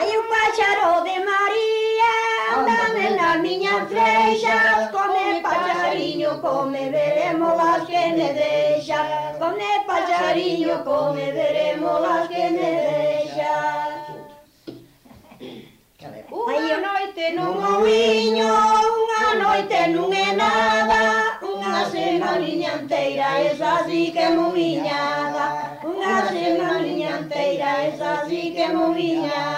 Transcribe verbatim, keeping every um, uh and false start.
Ai o páxaro de María anda nas miñas freixas. Come paxariño, come, veremos las que me deixa. Come paxariño, come, veremos las que me deixa. Unha noite non ouiño, unha noite non é nada, unha semaniña inteira, esa sí que é moviñada. Unha semaniña inteira, esa sí que é moviñada.